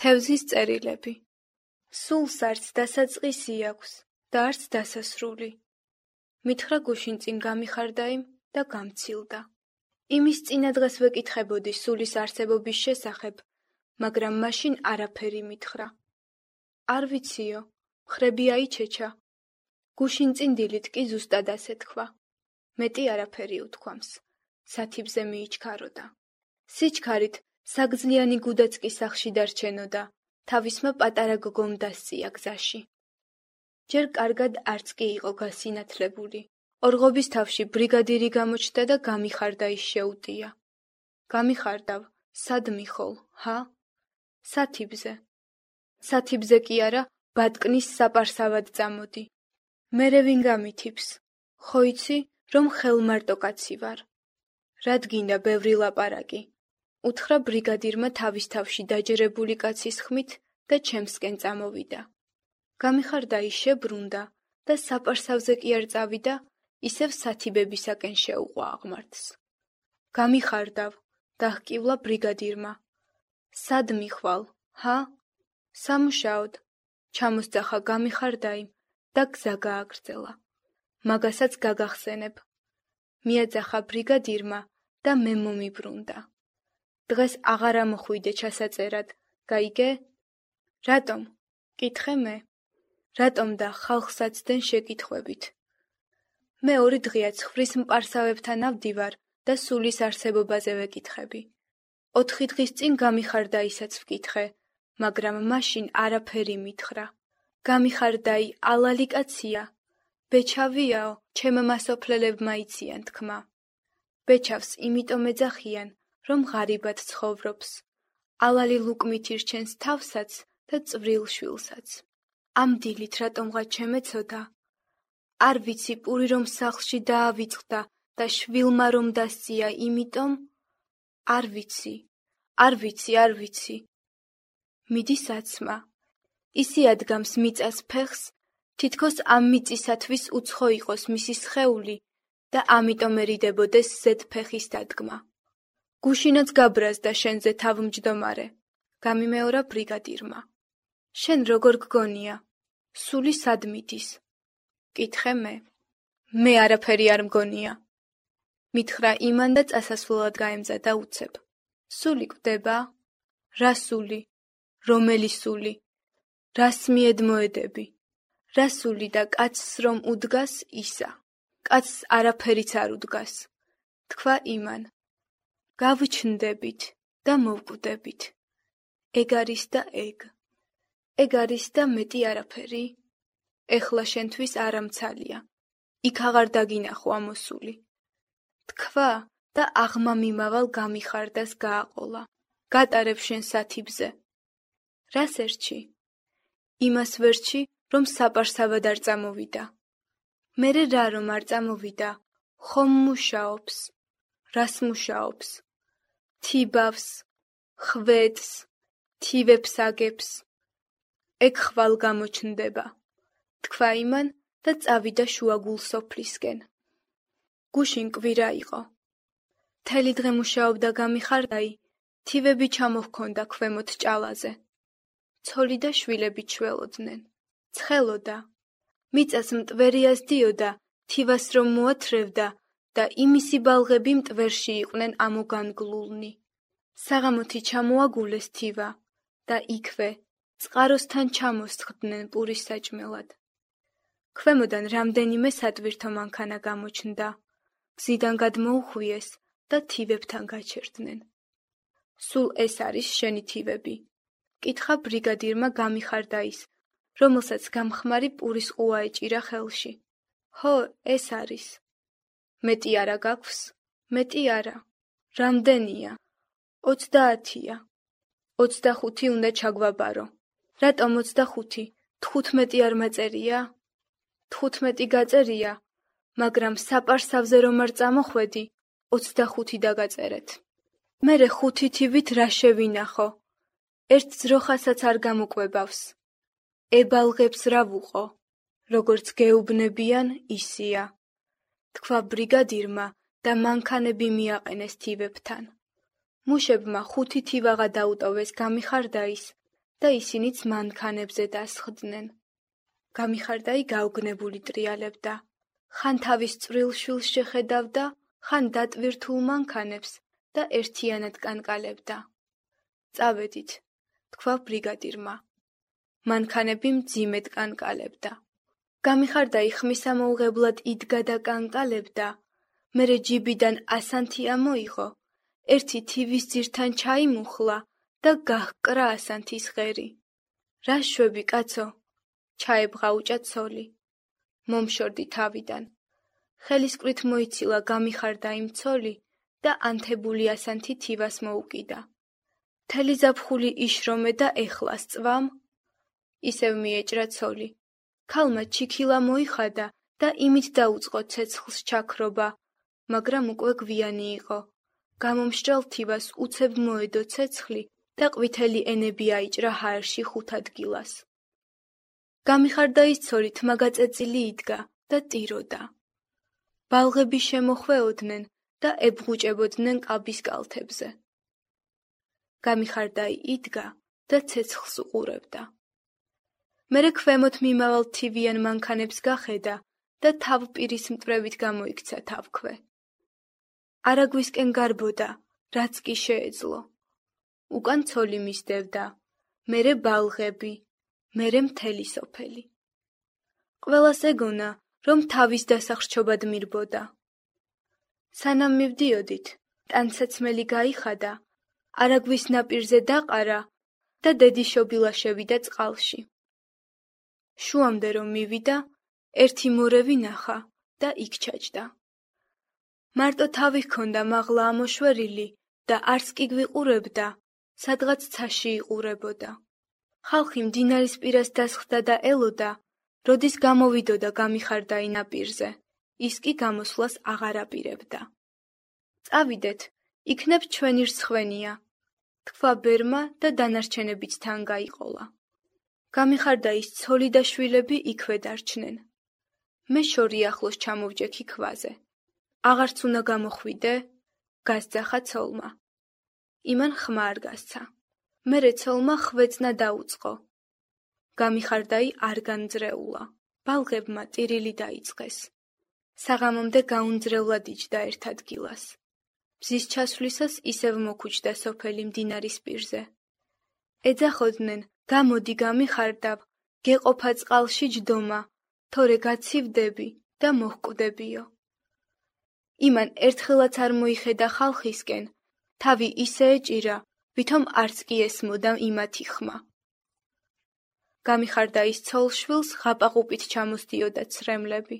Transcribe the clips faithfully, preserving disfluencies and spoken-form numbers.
თევზის წერილები. სულს არც დასაწყისი აქვს და არც დასასრული. მითხრა გუშინ წინ გამიხარდა იმ და გამცილდა. იმის წინა დღეს ვეკითხებოდი სულის არსებობის შესახებ, მაგრამ მაშინ არაფერი მითხრა. არ ვიციო, მხრები აიჩეჩა. გუშინ წინ დილით კი ზუსტად ასე თქვა. მეტი არაფერი უთქვამს. სათიბზე მიიჩქაროდა. სიჩქარით საგძლიანი გუდაც კი სახლში დარჩენოდა, თავისმა პატარა გოგომ დასწია გზაში. ჯერ კარგად არც კი იყო გასინათლებული. ორღობის თავში ბრიგადირი გამოჩნდა და გამიხარდა ის შეუტია. გამიხარდავ, სად მიხოლ, ჰა? სათიბზე. სათიბზე კი არა, ბატკნის საპარსავად წამოდი. მერე ვინ გამითიბს? ხო იცი, რომ ხელმარტო კაცი ვარ. რად გინდა ბევრი ლაპარაკი? უთხრა ბრიგადირმა თავის თავში დაჯერებული კაცის ხმით და ჩემსკენ წამოვიდა. გამიხარდა ის შებრუნდა და საპარსავზე კი არ წავიდა, ისევ სათიბებისაკენ შეუყვა აღმართს. გამიხარდავ, დაჰკივლა ბრიგადირმა. სად მიხვალ, ჰა? სამუშაოდ. ჩამოსძახა გამიხარდა იმ და გზა გააგრძელა. მაგასაც გაგახსენებ. მიაძახა ბრიგადირმა და მე მომიბრუნდა. დღეს აღარ ამოხვიდე ჩასაწერად, გაიგე? რატომ? კითხე მე. რატომ და ხალხსაცდენ შეკითხვებით. მე ორი დღეა ცხვრის მპარსავებთან ავდივარ და სულის არსებობაზე ვეკითხები. ოთხი დღის წინ გამიხარდა ისაც ვკითხე, მაგრამ მაშინ არაფერი მითხრა. გამიხარდაი ალალი კაცია. ბეჩავიაო, ჩემ მასოფლელებმა იციან თქმა. ბეჩავს იმიტომ ეძახიან, რომ ღარიბად ცხოვრობს. ალალი ლუკმით ირჩენს თავსაც და წვრილ შვილსაც. ამ დილით რატომღაც შემეცოდა? არ ვიცი პური რომ სახლში დაავიწყდა და შვილმა რომ დასწია იმიტომ? არ ვიცი, არ ვიცი, არ ვიცი. მიდის აცმა. ისი ადგამს მიწას ფეხს, თითქოს ამ მიწისათვის უცხო იყოს მისი სხეული და ამიტომ ერიდებოდეს ზედ ფეხის დადგმა. გუშინაც გაბრაზდა შენზე თავმჯდომარე, გამიმეორა ბრიგადირმა. შენ როგორ გგონია? სული სად მიდის? კითხე მე. მე არაფერი არ მგონია. მითხრა იმან და წასასვლელად გაემზადა უცებ. სული კვდება? რა სული? რომელი სული? რას მიედმოედები? რა სული და კაცს რომ უდგას ისა? კაცს არაფერიც არ უდგას. თქვა იმან. გავჩნდებით და მოვკვდებით. ეგ არის და ეგ. ეგ არის და მეტი არაფერი? ეხლა შენთვის არამცალია. იქ აღარ დაგინახო ამოსული. თქვა და აღმა მიმავალ გამიხარდას გააყოლა. გატარებ შენ სათიბზე. რას ერჩი? იმას ვერჩი, რომ საპარსავად არ წამოვიდა. მერე რა რომ არ წამოვიდა, ხომ მუშაობს. რას მუშაობს? თიბავს, ხვედს, თივებს აგებს. ეგ ხვალ გამოჩნდება. თქვა იმან და წავიდა შუაგულ სოფლისკენ. გუშინ კვირა იყო. მთელი დღე მუშაობდა გამიხარდაი, თივები ჩამოჰქონდა ქვემოთ ჭალაზე. ცოლი და შვილები ჩველოდნენ. ცხელოდა. მიწას მტვერი ასდიოდა, თივას რომ მოათრევდა და იმისი ბალღები მტვერში იყვნენ ამოგანგლულნი. საღამოთი ჩამოაგულეს თივა და იქვე წყაროსთან ჩამოსხდნენ პურის საჭმელად. ქვემოდან რამდენიმე სატვირთო მანქანა გამოჩნდა. გზიდან გადმოუხვიეს და თივებთან გაჩერდნენ. სულ ეს არის შენი თივები? კითხა ბრიგადირმა გამიხარდაის, რომელსაც გამხმარი პურის ყუა ეჭირა ხელში. ჰო, ეს არის. მეტი არა გაქვს? მეტი არა. რამდენია? ოცდაათია. ოცდახუთი უნდა ჩაგვაბარო. რატომ ოცდახუთი? თხუთმეტი არ მაწერია? თხუთმეტი გაწერია, მაგრამ საპარსავზე რომ არ წამოხვედი, ოცდახუთი დაგაწერეთ. მერე ხუთი თივით რა შევინახო? ერთ ძროხასაც არ გამოკვებავს. ებალღებს რა ვუყო? როგორც გეუბნებიან, ისია. თქვა ბრიგადირმა და მანქანები მიაყენეს თივებთან. მუშებმა ხუთი თივაღა დაუტოვეს გამიხარდაის და ისინიც მანქანებზე დასხდნენ. გამიხარდაი გაუგნებული ტრიალებდა. ხან თავის წვრილ შვილს შეხედავდა, ხან დატვირთულ მანქანებს და ერთიანად კანკალებდა. წავედით, თქვა ბრიგადირმა. მანქანები მძიმედ კანკალებდა. გამიხარდაი ხმისამოუღებლად იდგა და კანკალებდა. მერე ჯიბიდან ასანთი ამოიღო, ერთი თივის ძირთან ჩაიმუხლა და გაჰკრა ასანთის ღერი. რა შვები, კაცო? ჩაებღაუჭა ცოლი. მომშორდი თავიდან. ხელისკვრით მოიცილა გამიხარდაიმ ცოლი და ანთებული ასანთი თივას მოუკიდა. მთელი ზაფხული იშრომე და ეხლა სწვამ? ისევ მიეჭრა ცოლი. ქალმა ჩიქილა მოიხადა და იმით დაუწყო ცეცხლს ჩაქრობა, მაგრამ უკვე გვიანი იყო. გამომშრალ თივას უცებ მოედო ცეცხლი და ყვითელი ენები აიჭრა ჰაერში ხუთ ადგილას. გამიხარდაის ცოლი თმაგაწეწილი იდგა და ტიროდა. ბალღები შემოხვეოდნენ და ებღუჭებოდნენ კაბის კალთებზე. გამიხარდაი იდგა და ცეცხლს უყურებდა. მერე ქვემოთ მიმავალ თივიან მანქანებს გახედა და თავპირის მტვრევით გამოიქცა თავქვე. არაგვისკენ გარბოდა, რაც კი შეეძლო. უკან ცოლი მისდევდა, მერე ბალღები, მერე მთელი სოფელი. ყველას ეგონა, რომ თავის დასახრჩობად მირბოდა. სანამ მივდიოდით, ტანსაცმელი გაიხადა, არაგვის ნაპირზე დაყარა და დედიშობილა შევიდა წყალში. შუამდე რომ მივიდა, ერთი მორევი ნახა და იქ ჩაჯდა. მარტო თავი ჰქონდა მაღლა ამოშვერილი და არც კი გვიყურებდა, სადღაც ცაში იყურებოდა. ხალხი მდინარის პირას დასხდა და ელოდა, როდის გამოვიდოდა გამიხარდაი ნაპირზე, ის კი გამოსვლას აღარ აპირებდა. წავიდეთ, იქნებ ჩვენი რცხვენია, თქვა ბერმა და დანარჩენებიც თან გაიყოლა. გამიხარდაის ცოლი და შვილები იქვე დარჩნენ. მე შორი ახლოს ჩამოვჯექი ქვაზე. აღარც უნდა გამოხვიდე? გასძახა ცოლმა. იმან ხმა არ გასცა. მერე ცოლმა ხვეწნა დაუწყო. გამიხარდაი არ განძრეულა. ბალღებმა ტირილი დაიწყეს. საღამომდე გაუნძრევლად იჯდა ერთ ადგილას. მზის ჩასვლისას ისევ მოქუჩდა სოფელი მდინარის პირზე. ეძახოდნენ, გამოდი გამიხარდავ, გეყოფა წყალში ჯდომა, თორე გაცივდები და მოჰკვდებიო. იმან ერთხელაც არ მოიხედა ხალხისკენ, თავი ისე ეჭირა, ვითომ არც კი ესმოდა იმათი ხმა. გამიხარდაის ცოლ-შვილს ღაპაყუპით ჩამოსდიოდა ცრემლები.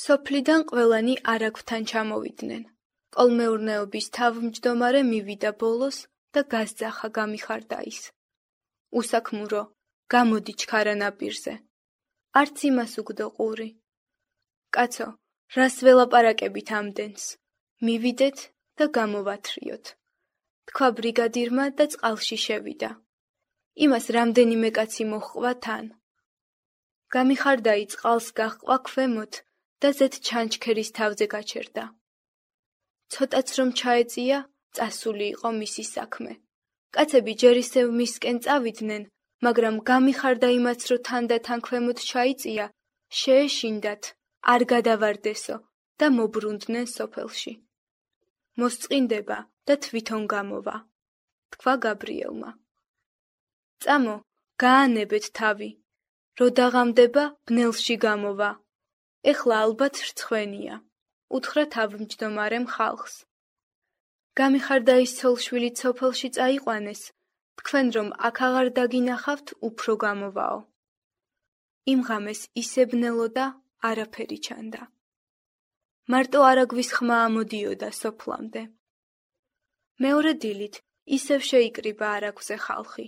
სოფლიდან ყველანი არაგვთან ჩამოვიდნენ. კოლმეურნეობის თავმჯდომარე მივიდა ბოლოს და გასძახა გამიხარდაის. უსაქმურო, გამოდი ჩქარა ნაპირზე. არც იმას უგდო ყური. კაცო, რას ველაპარაკებით ამდენს? მივიდეთ და გამოვათრიოთ. თქვა ბრიგადირმა და წყალში შევიდა. იმას რამდენიმე კაცი მოჰყვა თან. გამიხარდაი წყალს გაჰყვა ქვემოთ და ზედ ჩანჩქერის თავზე გაჩერდა. ცოტაც რომ ჩაეწია, წასული იყო მისი საქმე. კაცები ჯერ ისევ მისკენ წავიდნენ, მაგრამ გამიხარდაიმაც რო თან და თან ქვემოთ ჩაიწია, შეეშინდათ, არ გადავარდესო და მობრუნდნენ სოფელში. მოსწყინდება და თვითონ გამოვა, თქვა გაბრიელმა. წამო, გაანებეთ თავი, რო დაღამდება, ბნელში გამოვა. ეხლა ალბათ რცხვენია, უთხრა თავმჯდომარემ ხალხს. გამიხარდაის ცოლ-შვილი სოფელში წაიყვანეს, თქვენ რომ აქ აღარ დაგინახავთ, უფრო გამოვაო. იმ ღამეს ისე ბნელოდა, არაფერი ჩანდა. მარტო არაგვის ხმა ამოდიოდა სოფლამდე. მეორე დილით ისევ შეიკრიბა არაგვზე ხალხი.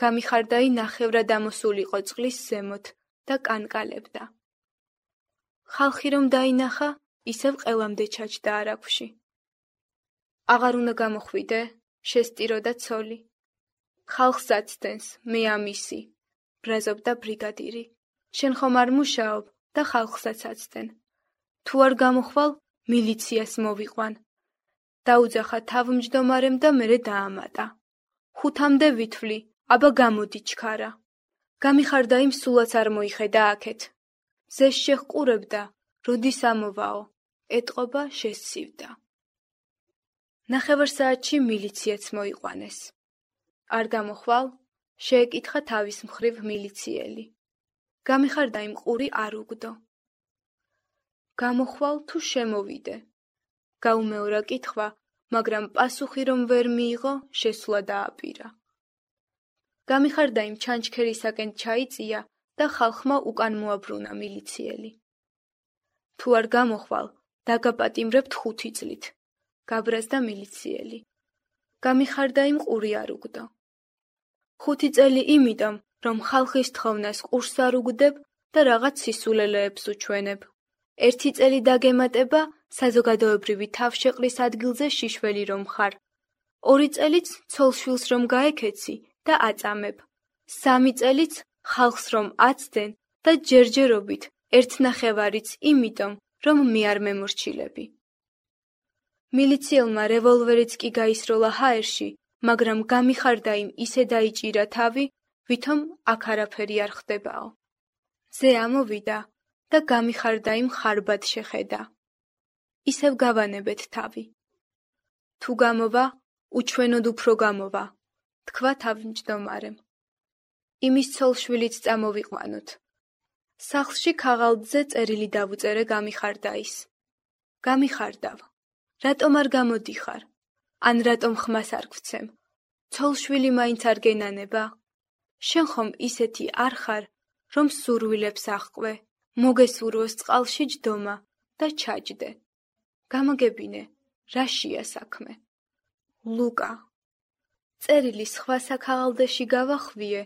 გამიხარდაი ნახევრად ამოსულიყო წყლის ზემოთ და კანკალებდა. ხალხი რომ დაინახა, ისევ ყელამდე ჩაჯდა არაგვში. აღარ უნდა გამოხვიდე, შესტიროდა ცოლი. ხალხს აცდენს, მე ამისი, ბრაზობდა ბრიგადირი. შენ ხომ არ მუშაობ და ხალხსაც აცდენ. თუ არ გამოხვალ, მილიციას მოვიყვან. დაუძახა თავმჯდომარემ და მერე დაამატა. ხუთამდე ვითვლი, აბა გამოდი ჩქარა. გამიხარდა იმ სულაც არ მოიხედა აქეთ. ზეს შეჰყურებდა, როდის ამოვაო, ეტყობა შესცივდა. ნახევარ საათში მილიციაც მოიყვანეს. არ გამოხვალ, შეეკითხა თავის მხრივ მილიციელი. გამიხარდა იმ ყური არ უგდო. გამოხვალ თუ შემოვიდე. გაუმეორა კითხვა, მაგრამ პასუხი რომ ვერ მიიღო, შესვლა დააპირა. გამიხარდა იმ ჩანჩქერისაკენ ჩაიწია და ხალხმა უკან მოაბრუნა მილიციელი. თუ არ გამოხვალ, დაგაპატიმრებთ ხუთი წლით. გაბრაზდა მილიციელი. გამიხარდა იმ ყური არ უგდო. ხუთი წელი იმიტომ, რომ ხალხის თხოვნას ყურს არ უგდებ და რაღაც სისულელეებს უჩვენებ. ერთი წელი დაგემატება საზოგადოებრივი თავშეყრის ადგილზე შიშველი რომ ხარ. ორი წელიც ცოლშვილს რომ გაეკეცი და აწამებ. სამი წელიც ხალხს რომ აცდენ და ჯერჯერობით ერთნახევარიც იმიტომ, რომ მე არ მემორჩილები. მილიციელმა რევოლვერიც კი გაისროლა ჰაერში, მაგრამ გამიხარდა იმ ისე დაიჭირა თავი, ვითომ აქ არაფერი არ ხდებაო. ზე ამოვიდა და გამიხარდა იმ ხარბად შეხედა. ისევ გავანებეთ თავი. თუ გამოვა, უჩვენოდ უფრო გამოვა, თქვა თავმჯდომარემ. იმის ცოლშვილიც წამოვიყვანოთ. სახლში ქაღალდზე წერილი დავუწერე გამიხარდაის. გამიხარდავ. რატომ არ გამოდიხარ? ან რატომ ხმას არ გვცემ? ცოლშვილი მაინც არ გენანება? შენ ხომ ისეთი არ ხარ, რომ სურვილებს აღყვე, მოგესურვოს წყალში ჯდომა და ჩაჯდე. გამოგებინე, რაშია საქმე? ლუკა. წერილი სხვა საქაღალდეში გავახვიე,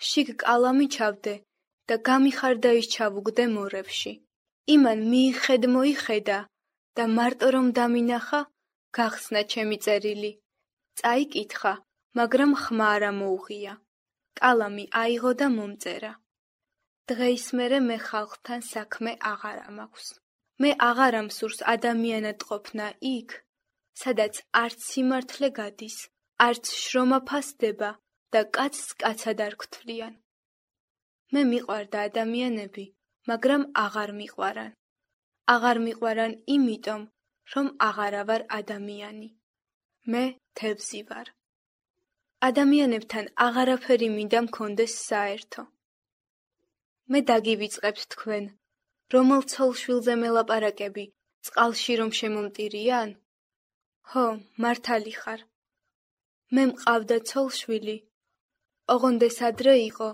შიგ კალამი ჩავდე და გამიხარდა ის ჩავუგდე მორევში. იმან მიიხედ მოიხედა და მარტო რომ დამინახა, გახსნა ჩემი წერილი. წაიკითხა, მაგრამ ხმა არა მოუღია. კალამი აიღო და მომწერა. დღეის მერე მე ხალხთან საქმე აღარ ამაქვს. მე აღარ ამსურს ადამიანად ყოფნა იქ, სადაც არც სიმართლე გადის, არც შრომა ფასდება და კაცს კაცად არ გთვლიან. მე მიყვარდა ადამიანები, მაგრამ აღარ მიყვარან. აღარ მიყვარან იმიტომ, რომ აღარა ვარ ადამიანი. მე თევზი ვარ. ადამიანებთან აღარაფერი მინდა მქონდეს საერთო. მე დაგივიწყებთ თქვენ, რომელ ცოლშვილზე მელაპარაკები, წყალში რომ შემომტირიან? ჰო, მართალი ხარ. მე მყავდა ცოლშვილი. ოღონდეს ადრე იყო,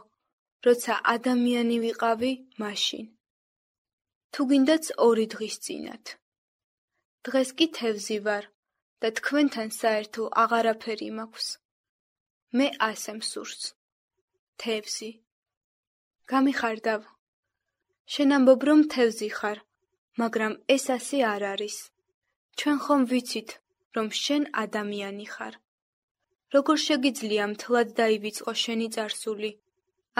როცა ადამიანი ვიყავი მაშინ. თუ გინდაც ორი დღის წინათ. დღეს კი თევზი ვარ და თქვენთან საერთო აღარაფერი მაქვს. მე ასე მსურს. თევზი. გამიხარდავ. შენ ამბობ რომ თევზი ხარ, მაგრამ ეს ასე არ არის. ჩვენ ხომ ვიცით, რომ შენ ადამიანი ხარ. როგორ შეგიძლია მთლად დაივიწყო შენი წარსული?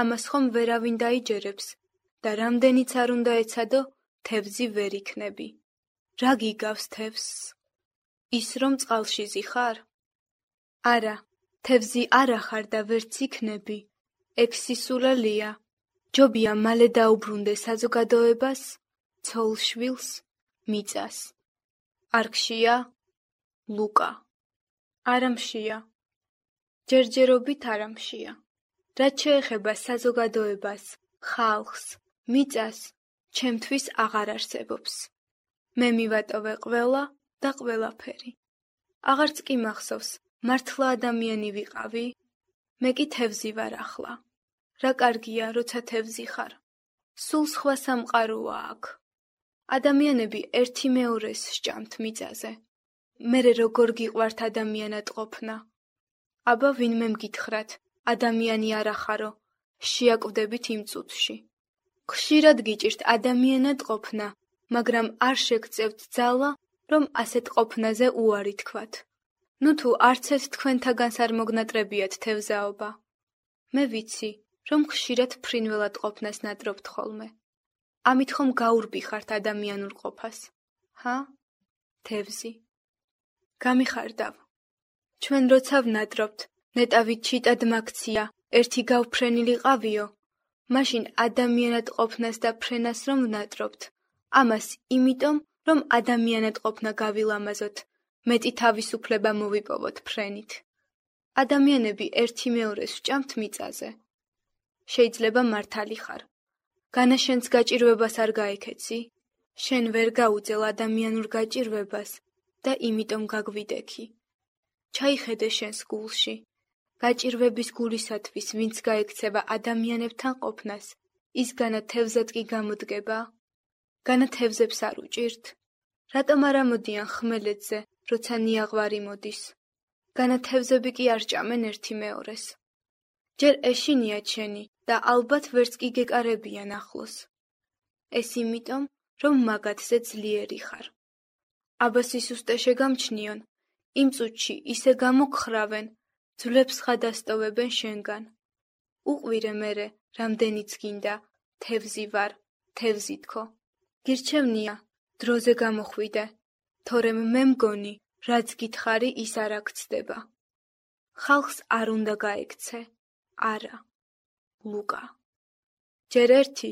ამას ხომ ვერავინ დაიჯერებს და რამდენიც არ უნდა ეცადო, თევზი ვერ იქნები. რა გიგავს თევზს? ის რომ წყალში ზიხარ? არა, თევზი არა ხარ და ვერც იქნები. ეგ სისულელია. ჯობია მალე დაუბრუნდე საზოგადოებას, ცოლშვილს, მიწას. არ გშია? ლუკა. არა მშია. ჯერჯერობით არა მშია. რაც შეეხება საზოგადოებას, ხალხს, მიწას, ჩემთვის აღარ არსებობს. მე მივატოვე ყველა და ყველაფერი. აღარც კი მახსოვს, მართლა ადამიანი ვიყავი? მე კი თევზი ვარ ახლა. რა კარგია, როცა თევზი ხარ. სულ სხვა სამყაროა აქ. ადამიანები ერთი მეორეს სჭამთ მიწაზე. მერე როგორ გიყვართ ადამიანად ყოფნა? აბა ვინმე მგითხრათ, ადამიანი არ ახარო, შეაკვდებით იმ წუთში. ხშირად გიჭირთ ადამიანად ყოფნა, მაგრამ არ შეგწევთ ძალა, რომ ასეთ ყოფნაზე უარი თქვათ. ნუ თუ არც ერთ თქვენთაგანს არ მოგნატრებიათ თევზაობა. მე ვიცი, რომ ხშირად ფრინველად ყოფნას ნატრობთ ხოლმე. ამით ხომ გაურბიხართ ადამიანურ ყოფას? ჰა? თევზი. გამიხარდავ. ჩვენ როცა ვნატრობთ, ნეტავით ჩიტად მაგცია, ერთი გავფრენილიყავიო, მაშინ ადამიანად ყოფნას და ფრენას რომ ვნატრობთ, ამას იმიტომ, რომ ადამიანად ყოფნა გავილამაზოთ, მეტი თავისუფლება მოვიპოვოთ ფრენით. ადამიანები ერთი მეორეს ვჭამთ მიწაზე. შეიძლება მართალი ხარ. განა შენს გაჭირვებას არ გაექეცი? შენ ვერ გაუძელ ადამიანურ გაჭირვებას და იმიტომ გაგვიდექი. ჩაიხედე შენს გულში. გაჭირვების გულისათვის, ვინც გაექცევა ადამიანებთან ყოფნას, ის განა თევზად კი გამოდგება? განა თევზებს არ უჭირთ? რატომ არ ამოდიან ხმელეთზე, როცა ნიაღვარი მოდის? განა თევზები კი არ ჭამენ ერთი მეორეს. ჯერ ეშინიათ შენი და ალბათ ვერც კი გეკარებიან ახლოს. ეს იმიტომ, რომ მაგათზე ძლიერი ხარ. აბას ისუსტე შეგამჩნიონ, იმ წუთში ისე გამოგხრავენ, ძვლებს ხადასტოვებენ შენგან. უყვირე მერე, რამდენიც გინდა, თევზი ვარ, თევზი თქო. გირჩევნია, დროზე გამოხვიდე, თორემ მე მგონი, რაც გითხარი ის არ აქცდება. ხალხს არ უნდა გაექცე, არა. ლუკა. ჯერ ერთი,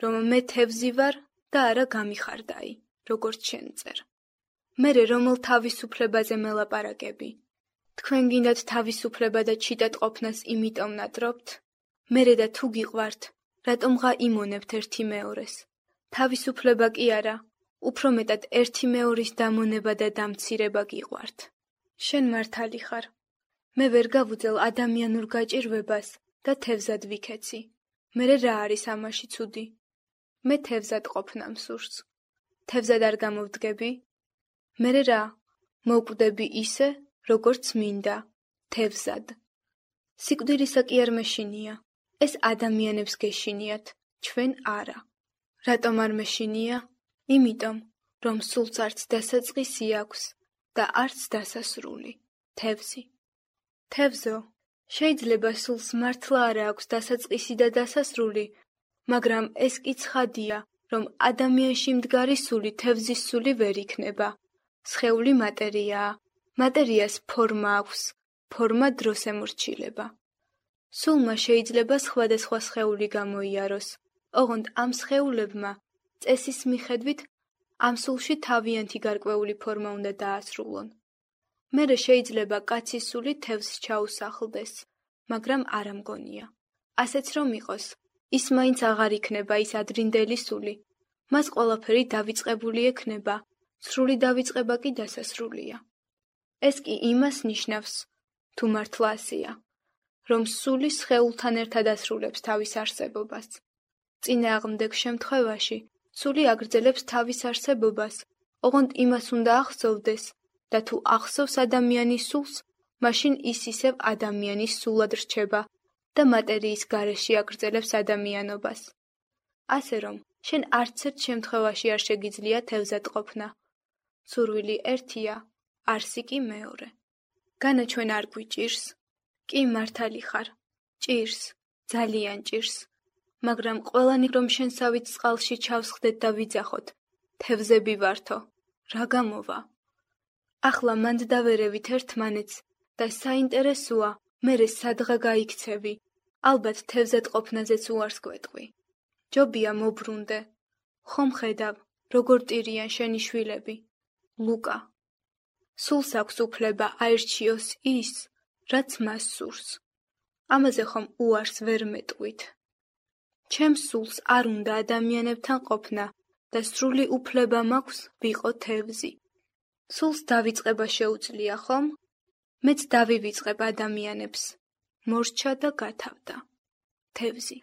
რომ მე თევზი ვარ და არა გამიხარდაი, როგორც შენ წერ. მერე რომელ თავისუფლებაზე მელაპარაკები? თქვენ გინდათ თავისუფლება და ჩიტად ყოფნას იმიტომ ნატრობთ? მერე და თუ გიყვართ, რატომღა იმონებთ ერთი მეორეს? თავისუფლება კი არა, უფრო მეტად ერთი მეორის დამონება და დამცირება გიყვართ. შენ მართალი ხარ. მე ვერ გავუძელ ადამიანურ გაჭირვებას და თევზად ვიქეცი. მერე რა არის ამაში ცუდი? მე თევზად ყოფნა მსურს. თევზად არ გამოვდგები? მერე რა, მოვკვდები ისე, როგორც მინდა, თევზად. სიკვდილისა კი არ მეშინია. ეს ადამიანებს გეშინიათ, ჩვენ არა. რატომ არ მეშინია? იმიტომ, რომ სულს არც დასაწყისი აქვს და არც დასასრული, თევზი. თევზო, შეიძლება სულს მართლა არა აქვს დასაწყისი და დასასრული, მაგრამ ეს კი ცხადია, რომ ადამიანში მდგარი სული თევზის სული ვერ იქნება. სხეული მატერიაა, მატერიას ფორმა აქვს, ფორმა დროს ემორჩილება. სულმა შეიძლება სხვადასხვა სხეული გამოიაროს, ოღონდ ამ სხეულებმა წესის მიხედვით ამ სულში თავიანთი გარკვეული ფორმა უნდა დაასრულონ. მერე შეიძლება კაცის სული თევზს ჩაუსახლდეს, მაგრამ არა მგონია. ასეც რომ იყოს, ის მაინც აღარ იქნება ის ადრინდელი სული. მას ყველაფერი დავიწყებული ექნება, სრული დავიწყება კი დასასრულია. ეს კი იმას ნიშნავს, თუ მართლა ასეა, რომ სული სხეულთან ერთად ასრულებს თავის არსებობას. წინააღმდეგ შემთხვევაში სული აგრძელებს თავის არსებობას, ოღონდ იმას უნდა ახსოვდეს და თუ ახსოვს ადამიანის სულს, მაშინ ის ისევ ადამიანის სულად რჩება და მატერიის გარეშე აგრძელებს ადამიანობას. ასე რომ, შენ არც ერთ შემთხვევაში არ შეგიძლია თევზად ყოფნა. სურვილი ერთია, არსი კი მეორე. განა ჩვენ არ გვიჭირს? კი მართალი ხარ, ჭირს, ძალიან ჭირს. მაგრამ ყველანი რომ შენსავით წყალში ჩავსხდეთ და ვიძახოთ, თევზები ვართო, რა გამოვა? ახლა მანდ დავერევით ერთმანეთს და საინტერესოა, მერე სადღა გაიქცევი, ალბათ თევზად ყოფნაზეც უარს გვეტყვი. ჯობია მობრუნდე, ხომ ხედავ, როგორ ტირიან შენი შვილები. ლუკა. სულს აქვს უფლება აერჩიოს ის, რაც მას სურს. ამაზე ხომ უარს ვერ მეტყვით. ჩემს სულს არ უნდა ადამიანებთან ყოფნა და სრული უფლება მაქვს ვიყო თევზი. სულს დავიწყება შეუძლია ხომ? მეც დავივიწყებ ადამიანებს. მორჩა და გათავდა. თევზი.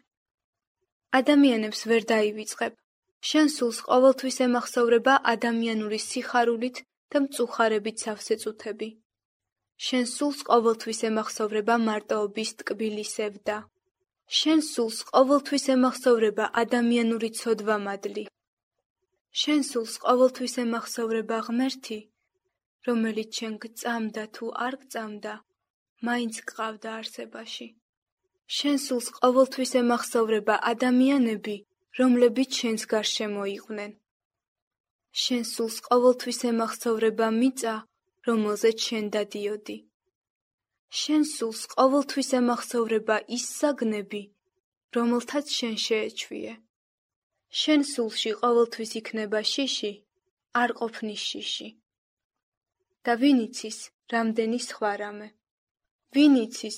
ადამიანებს ვერ დაივიწყებ. შენ სულს ყოველთვის ემახსოვრება ადამიანური სიხარულით და მწუხარებით სავსე წუთები. შენ სულს ყოველთვის ემახსოვრება მარტოობის ტკბილი სევდა. შენ სულს ყოველთვის ემახსოვრება ადამიანური ცოდვა მადლი. შენ სულს ყოველთვის ემახსოვრება ღმერთი, რომელიც შენ გწამდა თუ არ გწამდა, მაინც გყავდა არსებაში. შენ სულს ყოველთვის ემახსოვრება ადამიანები, რომლებიც შენს გარშემო იყვნენ. შენ სულს ყოველთვის ემახსოვრება მიწა, რომელზეც შენ დადიოდი. შენ სულს ყოველთვის ემახსოვრება ის საგნები, რომელთაც შენ შეეჩვიე. შენ სულში ყოველთვის იქნება შიში, არ ყოფნის შიში. და ვინ იცის, რამდენი სხვა რამე. ვინ იცის,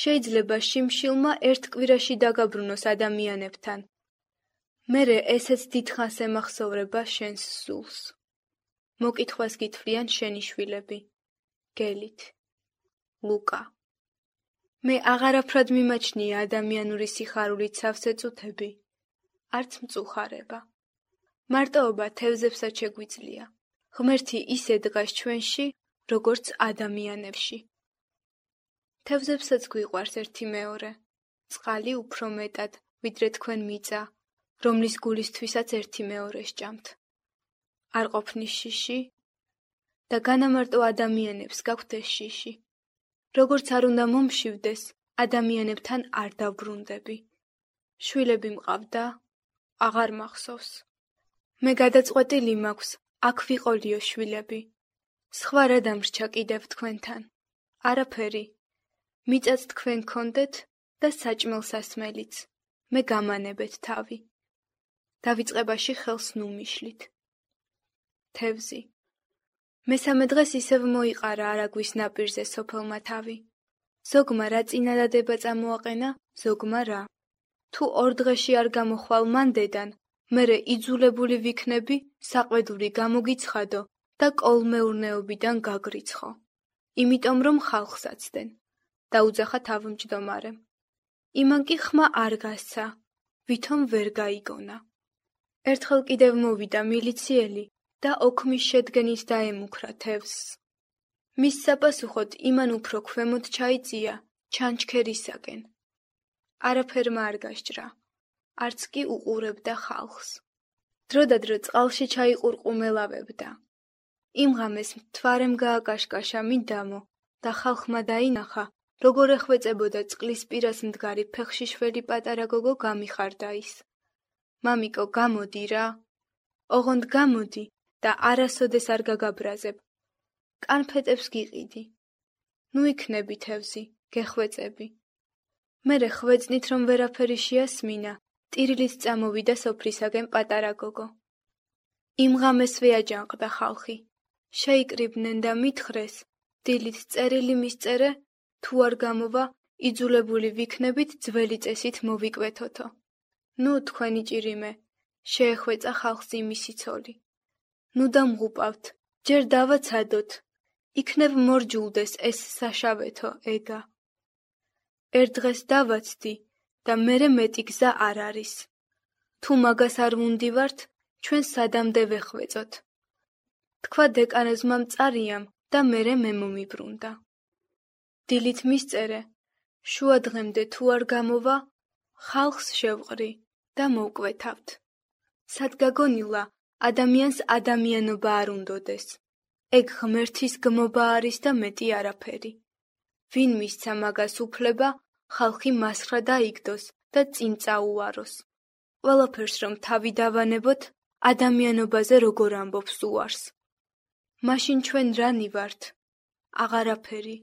შეიძლება შიმშილმა ერთ კვირაში დაგაბრუნოს ადამიანებთან. მერე ესეც დიდხანს ემახსოვრება შენს სულს. მოკითხვას გითვლიან შენი შვილები. გელით. ლუკა. მე აღარაფრად მიმაჩნია ადამიანური სიხარულით სავსე წუთები, არც მწუხარება. მარტოობა თევზებსაც შეგვიძლია. ღმერთი ისე დგას ჩვენში, როგორც ადამიანებში. თევზებსაც გვიყვარს ერთი მეორე, წყალი უფრო მეტად, ვიდრე თქვენ მიწა, რომლის გულისთვისაც ერთი მეორე სჭამთ. არ ყოფნის შიში და განამარტო ადამიანებს გაქვთ ეს შიში. როგორც არ უნდა მომშივდეს, ადამიანებთან არ დავბრუნდები. შვილები მყავდა, აღარ მახსოვს. მე გადაწყვეტილი მაქვს, აქ ვიყოლიო შვილები. სხვა რა დამრჩა კიდევ თქვენთან? არაფერი. მიწაც თქვენ გქონდეთ და საჭმელ სასმელიც. მე გამანებეთ თავი. დავიწყებაში ხელს ნუ მიშლით. თევზი. მესამე დღეს ისევ მოიყარა არაგვის ნაპირზე სოფელმა თავი. ზოგმა რა წინადადება წამოაყენა, ზოგმა რა. თუ ორ დღეში არ გამოხვალ მან დედან, მერე იძულებული ვიქნები საყვედური გამოგიცხადო და კოლმეურნეობიდან გაგრიცხო. იმიტომ რომ ხალხს აცდენ. დაუძახა თავმჯდომარემ. იმან კი ხმა არ გასცა, ვითომ ვერ გაიგონა. ერთხელ კიდევ მოვიდა მილიციელი და ოქმის შედგენით დაემუქრა თევზს. მის საპასუხოდ იმან უფრო ქვემოთ ჩაიწია ჩანჩქერისაკენ. არაფერმა არ გასჯრა, არც კი უყურებდა ხალხს. დროდადრო წყალში ჩაიყურყუმელავებდა. იმ ღამეს მთვარემ გააკაშკაშა მინდამო და ხალხმა დაინახა, როგორ ეხვეწებოდა წყლის პირას მდგარი ფეხში შველი პატარა გოგო გამიხარდა ის. მამიკო, გამოდი რა. ოღონდ გამოდი და არასოდეს არ გაგაბრაზებ. კანფეტებს გიყიდი. ნუ იქნები თევზი, გეხვეწები. მერე ხვეწნით რომ ვერაფერი შეასმინა, ტირილით წამოვიდა სოფლისაკენ პატარა გოგო. იმ ღამესვე აჯანყდა ხალხი. შეიკრიბნენ და მითხრეს, დილით წერილი მისწერე, თუ არ გამოვა, იძულებული ვიქნებით ძველი წესით მოვიკვეთოთო. ნუ თქვენი ჭირიმე, შეეხვეწა ხალხს იმისი ცოლი. ნუ დამღუპავთ, ჯერ დავაცადოთ, იქნებ მორჯულდეს ეს საშავეთო ეგა. ერთ დღეს დავაცდი და მერე მეტი გზა არ არის. თუ მაგას არ ვუნდივართ, ჩვენ სადამდე ვეხვეწოთ. თქვა დეკანოზმა მწარიამ და მერე მე მომიბრუნდა. დილით მისწერე, შუა დღემდე თუ არ გამოვა, ხალხს შევყრი და მოვკვეთავთ. სადგაგონილა, ადამიანს ადამიანობა არ უნდოდეს. ეგ ღმერთის გმობა არის და მეტი არაფერი. ვინ მისცა მაგას უფლება, ხალხი მასხრა დაიგდოს და წინ წაუაროს. ყველაფერს რომ თავი დავანებოთ, ადამიანობაზე როგორ ამბობს უარს. მაშინ ჩვენ რანი ვართ? აღარაფერი.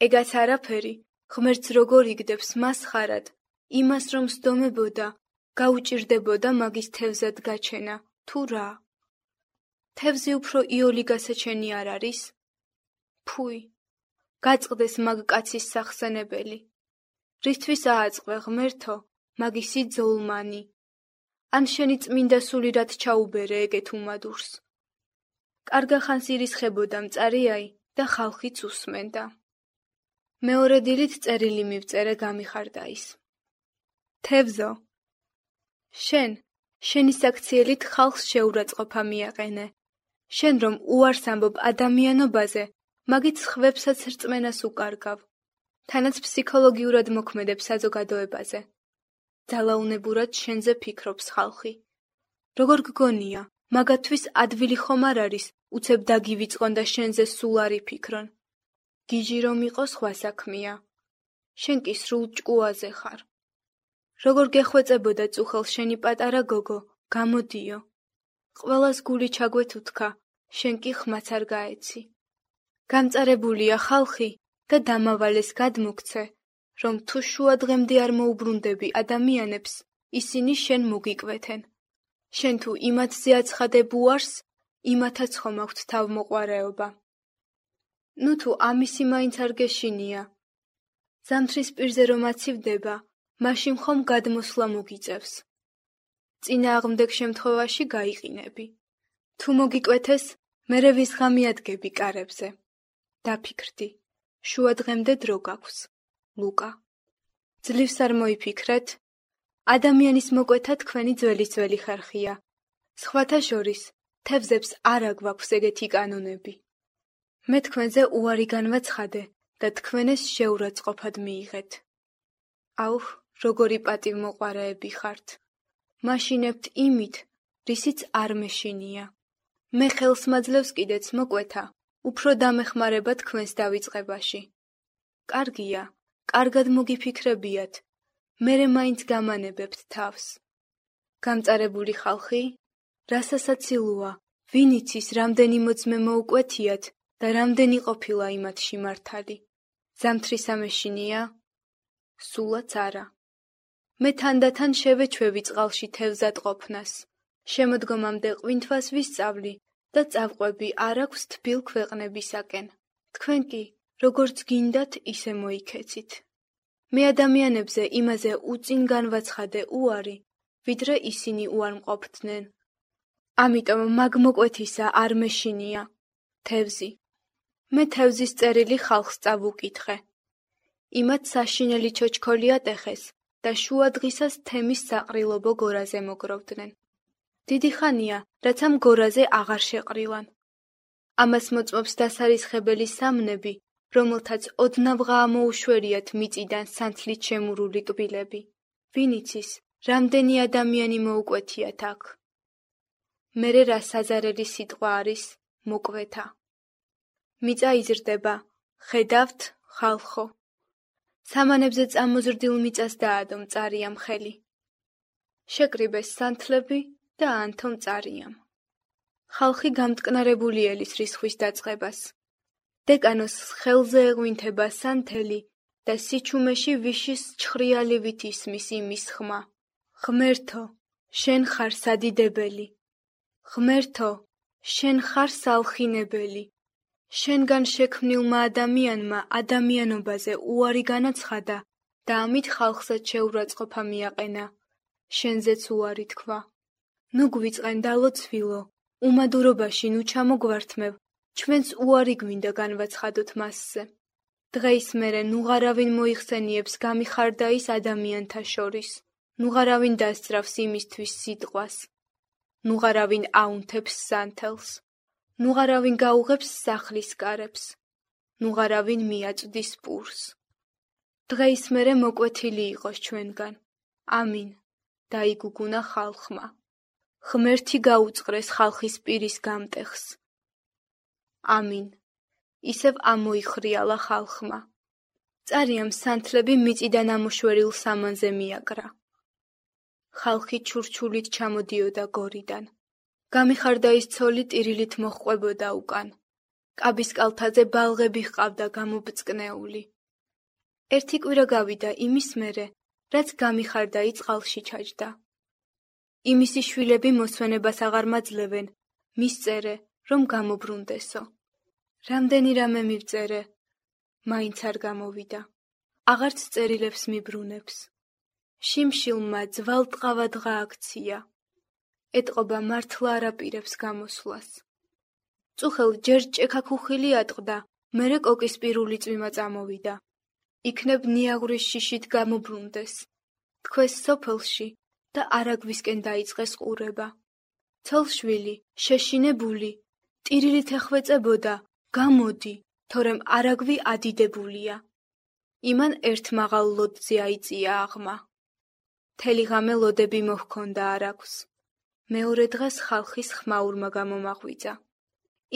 ეგაც არაფერი, ღმერთს როგორ იგდებს მას ხარად, იმას რომ სდომებოდა, გაუჭირდებოდა მაგის თევზად გაჩენა, თუ რა? თევზი უფრო იოლი გასაჩენი არ არის? ფუი, გაწყდეს მაგ კაცის სახსენებელი. რისთვის ააწყვე ღმერთო, მაგისი ძოლმანი. ან შენი წმინდა სული რად ჩაუბერე ეგეთ უმადურს. კარგა ხანს ირისხებოდა მწარიაი და ხალხიც უსმენდა. მეორე დილით წერილი მივწერე გამიხარდა ის. თევზო, შენ, შენი საქციელით ხალხს შეურაცხყოფა მიაყენე. შენ რომ უარს ამბობ ადამიანობაზე, მაგით სხვებსაც რწმენას უკარგავ. თანაც ფსიქოლოგიურად მოქმედებ საზოგადოებაზე. ძალაუნებურად შენზე ფიქრობს ხალხი. როგორ გგონია, მაგათთვის ადვილი ხომ არ არის, უცებ დაგივიწყონ და შენზე სულ არ იფიქრონ. გიჟი რომ იყო სხვა საქმეა. შენ კი სრულ ჭკუაზე ხარ. როგორ გეხვეწებოდა წუხელ შენი პატარა გოგო, გამოდიო. ყველას გული ჩაგვეთუთქა, შენ კი ხმაც არ გაეცი. გამწარებულია ხალხი, და დამავალეს გადმოგცე, რომ თუ შუა დღემდე არ მოუბრუნდები ადამიანებს, ისინი შენ მოგიკვეთენ. შენ თუ იმათზე აცხადებ უარს, იმათაც ხომ აქვთ თავმოყვარეობა. ნუ თუ ამისი მაინც არ გეშინია. ზამთრის პირზე რომ აცივდება, მაშინ ხომ გადმოსვლა მოგიწევს. წინააღმდეგ შემთხვევაში გაიყინები. თუ მოგიკვეთეს, მერე ვისღამი ადგები კარებზე. დაფიქრდი, შუა დღემდე დრო გაქვს. ლუკა. ძლივს არ მოიფიქრეთ? ადამიანის მოკვეთა თქვენი ძველისძველი ხერხია. სხვათა შორის, თევზებს არ აგვაქვს ეგეთი კანონები. მე თქვენზე უარი განვაცხადე და თქვენ ეს შეურაცხყოფად მიიღეთ. აუხ, როგორი პატივმოყვარეები ხართ. მაშინებთ იმით, რისიც არ მეშინია. მე ხელს მაძლევს კიდეც მოკვეთა, უფრო დამეხმარება თქვენს დავიწყებაში. კარგია, კარგად მოგიფიქრებიათ, მერე მაინც გამანებებთ თავს. გამწარებული ხალხი, რასასაცილოა, ვინ იცის რამდენი მოძმე მოუკვეთიათ და რამდენი ყოფილა იმათში მართალი. ზამთრისა მეშინია? სულაც არა. მე თანდათან შევეჩვევი წყალში თევზად ყოფნას. შემოდგომამდე ყვინთვას ვისწავლი და წავყვები არ აქვს თბილ ქვეყნებისაკენ. თქვენ კი, როგორც გინდათ, ისე მოიქეცით. მე ადამიანებზე იმაზე უწინ განვაცხადე უარი, ვიდრე ისინი უარმყოფდნენ. ამიტომ მაგ მოკვეთისა არ მეშინია. თევზი. მე თევზის წერილი ხალხს წავუკითხე. იმათ საშინელი ჩოჩქოლი ატეხეს და შუა დღისას თემის საყრილობო გორაზე მოგროვდნენ. დიდი ხანია, რაც ამ გორაზე აღარ შეყრილან. ამას მოწმობს დასარისხებელი სამნები, რომელთაც ოდნავღა ამოუშვერიათ მიწიდან სანთლით შემურული კბილები. ვინ იცის, რამდენი ადამიანი მოუკვეთიათ აქ. მერე რა საზარელი სიტყვა არის მოკვეთა. მიწა იზრდება, ხედავთ, ხალხო. სამანებზე წამოზრდილ მიწას დაადო მწარიამ ხელი. შეკრიბეს სანთლები და აანთო მწარიამ. ხალხი გამტკნარებული ელის რისხვის დაწყებას. დეკანოს ხელზე ეღვინთება სანთელი და სიჩუმეში ვიშის ჩხრიალივით ისმის იმის ხმა. ღმერთო, შენ ხარ სადიდებელი. ღმერთო, შენ ხარ სალხინებელი. შენგან შექმნილმა ადამიანმა ადამიანობაზე უარი განაცხადა და ამით ხალხსაც შეურაცხყოფა მიაყენა. შენზეც უარი თქვა. ნუ გვიწყენ დალოცვილო, უმადურობაში ნუ ჩამოგვართმევ, ჩვენს უარი გვინდა განვაცხადოთ მასზე. დღეის მერე ნუღარავინ მოიხსენიებს გამიხარდაის ადამიანთა შორის, ნუღარავინ დასწრავს იმისთვის სიტყვას, ნუღარავინ აუნთებს სანთელს, ნუღარავინ გაუღებს სახლის კარებს, ნუღარავინ მიაწვდის პურს. დღეის მერე მოკვეთილი იყოს ჩვენგან. ამინ. დაიგუგუნა ხალხმა. ღმერთი გაუწყრეს ხალხის პირის გამტეხს. ამინ. ისევ ამოიხრიალა ხალხმა. წარიამ სანთლები მიწიდან ამოშვერილ სამანზე მიაკრა. ხალხი ჩურჩულით ჩამოდიოდა გორიდან. გამიხარდაის ცოლი ტირილით მოჰყვებოდა უკან. კაბის კალთაზე ბალღები ჰყავდა გამობწკნეული. ერთი კვირა გავიდა იმის მერე, რაც გამიხარდაი წყალში ჩაჯდა. იმისი შვილები მოსვენებას აღარ მაძლევენ, მისწერე, რომ გამობრუნდესო. რამდენი რამე მივწერე, მაინც არ გამოვიდა. აღარც წერილებს მიბრუნებს. შიმშილმა ძვალტყავადღა აქცია. ეტყობა მართლა არ აპირებს გამოსვლას. წუხელ ჯერ ჭექაქუხილი ატყდა, მერე კოკისპირული წვიმა წამოვიდა. იქნებ ნიაღვრის შიშით გამობრუნდეს. თქვეს სოფელში და არაგვისკენ დაიწყეს ყურება. ცოლშვილი, შეშინებული, ტირილით ეხვეწებოდა, გამოდი, თორემ არაგვი ადიდებულია. იმან ერთ მაღალ ლოდზე აიწია აღმა. მთელი ღამე ლოდები მოჰქონდა არაგვს. მეორე დღეს ხალხის ხმაურმა გამომაღვიძა.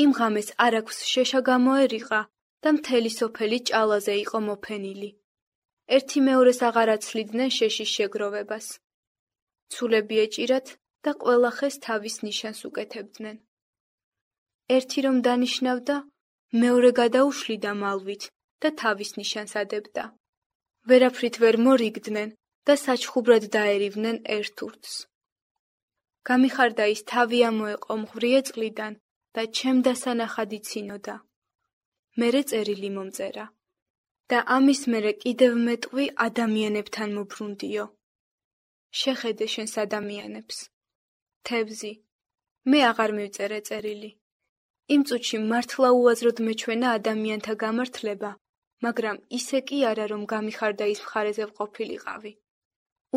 იმ ღამეს არაგვს შეშა გამოერიყა და მთელი სოფელი ჭალაზე იყო მოფენილი. ერთი მეორეს აღარ აცლიდნენ შეშის შეგროვებას. ცულები ეჭირათ და ყველა ხეს თავის ნიშანს უკეთებდნენ. ერთი რომ დანიშნავდა, მეორე გადაუშლიდა მალვით და თავის ნიშანს ადებდა. ვერაფრით ვერ მორიგდნენ და საჩხუბრად დაერივნენ ერთ ურთს. გამიხარდა ის თავი ამოეყო მღვრიე წყლიდან და ჩემ დასანახად იცინოდა. მერე წერილი მომწერა და ამის მერე კიდევ მეტყვი ადამიანებთან მობრუნდიო. შეხედე შენს ადამიანებს. თევზი, მე აღარ მივწერე წერილი. იმ წუთში მართლა უაზროდ მეჩვენა ადამიანთა გამართლება, მაგრამ ისე კი არა, რომ გამიხარდა ის მხარეზე ვყოფილიყავი.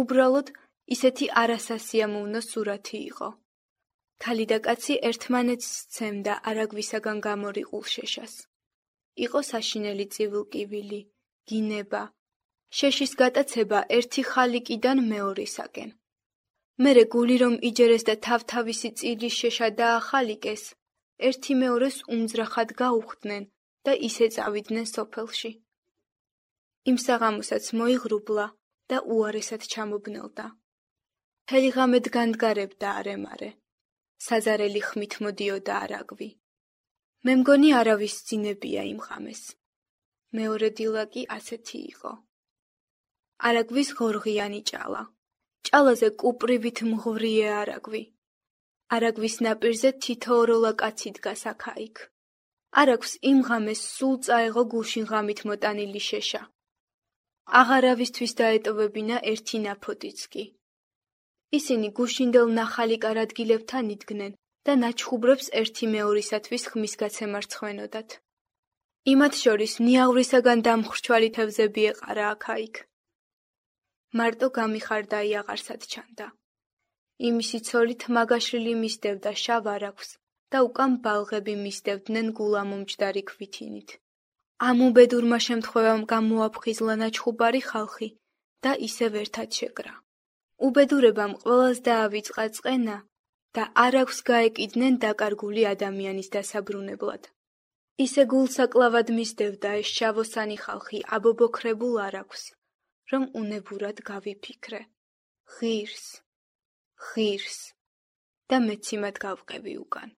უბრალოდ ისეთი არასასიამოვნო სურათი იყო. ქალი და კაცი ერთმანეთს სცემდა არაგვისაგან გამორიყულ შეშას. იყო საშინელი წივილკივილი, გინება, შეშის გატაცება ერთი ხალიკიდან მეორისაკენ. მერე გული რომ იჯერეს და თავთავისი წილის შეშა დაახალიკეს, ერთი მეორეს უმძრახად გაუხდნენ და ისე წავიდნენ სოფელში. იმ საღამოსაც მოიღრუბლა და უარესად ჩამობნელდა. მთელი ღამე დგანდგარებდა არემარე. საზარელი ხმით მოდიოდა არაგვი. მე მგონი არავის ძინებია იმ ღამეს. მეორე დილა კი ასეთი იყო. არაგვის ღორღიანი ჭალა. ჭალაზე კუპრივით მღვრიე არაგვი. არაგვის ნაპირზე თითო ოროლა კაცი დგას აქა-იქ. არაგვს იმ ღამეს სულ წაეღო გუშინ ღამით მოტანილი შეშა. აღარავისთვის დაეტოვებინა ერთი ნაფოტიც კი. ისინი გუშინდელ ნახალიკარ ადგილებთან იდგნენ და ნაჩხუბრებს ერთი მეორისათვის ხმის გაცემა რცხვენოდათ. იმათ შორის ნიაღვრისაგან დამხრჩვალი თევზები ეყარა აქა-იქ. მარტო გამიხარდა იაღარსად ჩანდა. იმისი ცოლით მაგაშრილი მისდევდა შავ არაგვს და უკან ბალღები მისდევდნენ გულამომჯდარი ქვითინით. ამ უბედურმა შემთხვევამ გამოაფხიზლა ნაჩხუბარი ხალხი და ისევ ერთად შეკრა. უბედურებამ ყველას დაავიწყა წყენა და არაგვს გაეკიდნენ დაკარგული ადამიანის დასაბრუნებლად. ისე გულსაკლავად მისდევდა ეს შავოსანი ხალხი აბობოქრებულ არაგვს, რომ უნებურად გავიფიქრე. ღირს, ღირს და მეც იმად გავყევი უკან.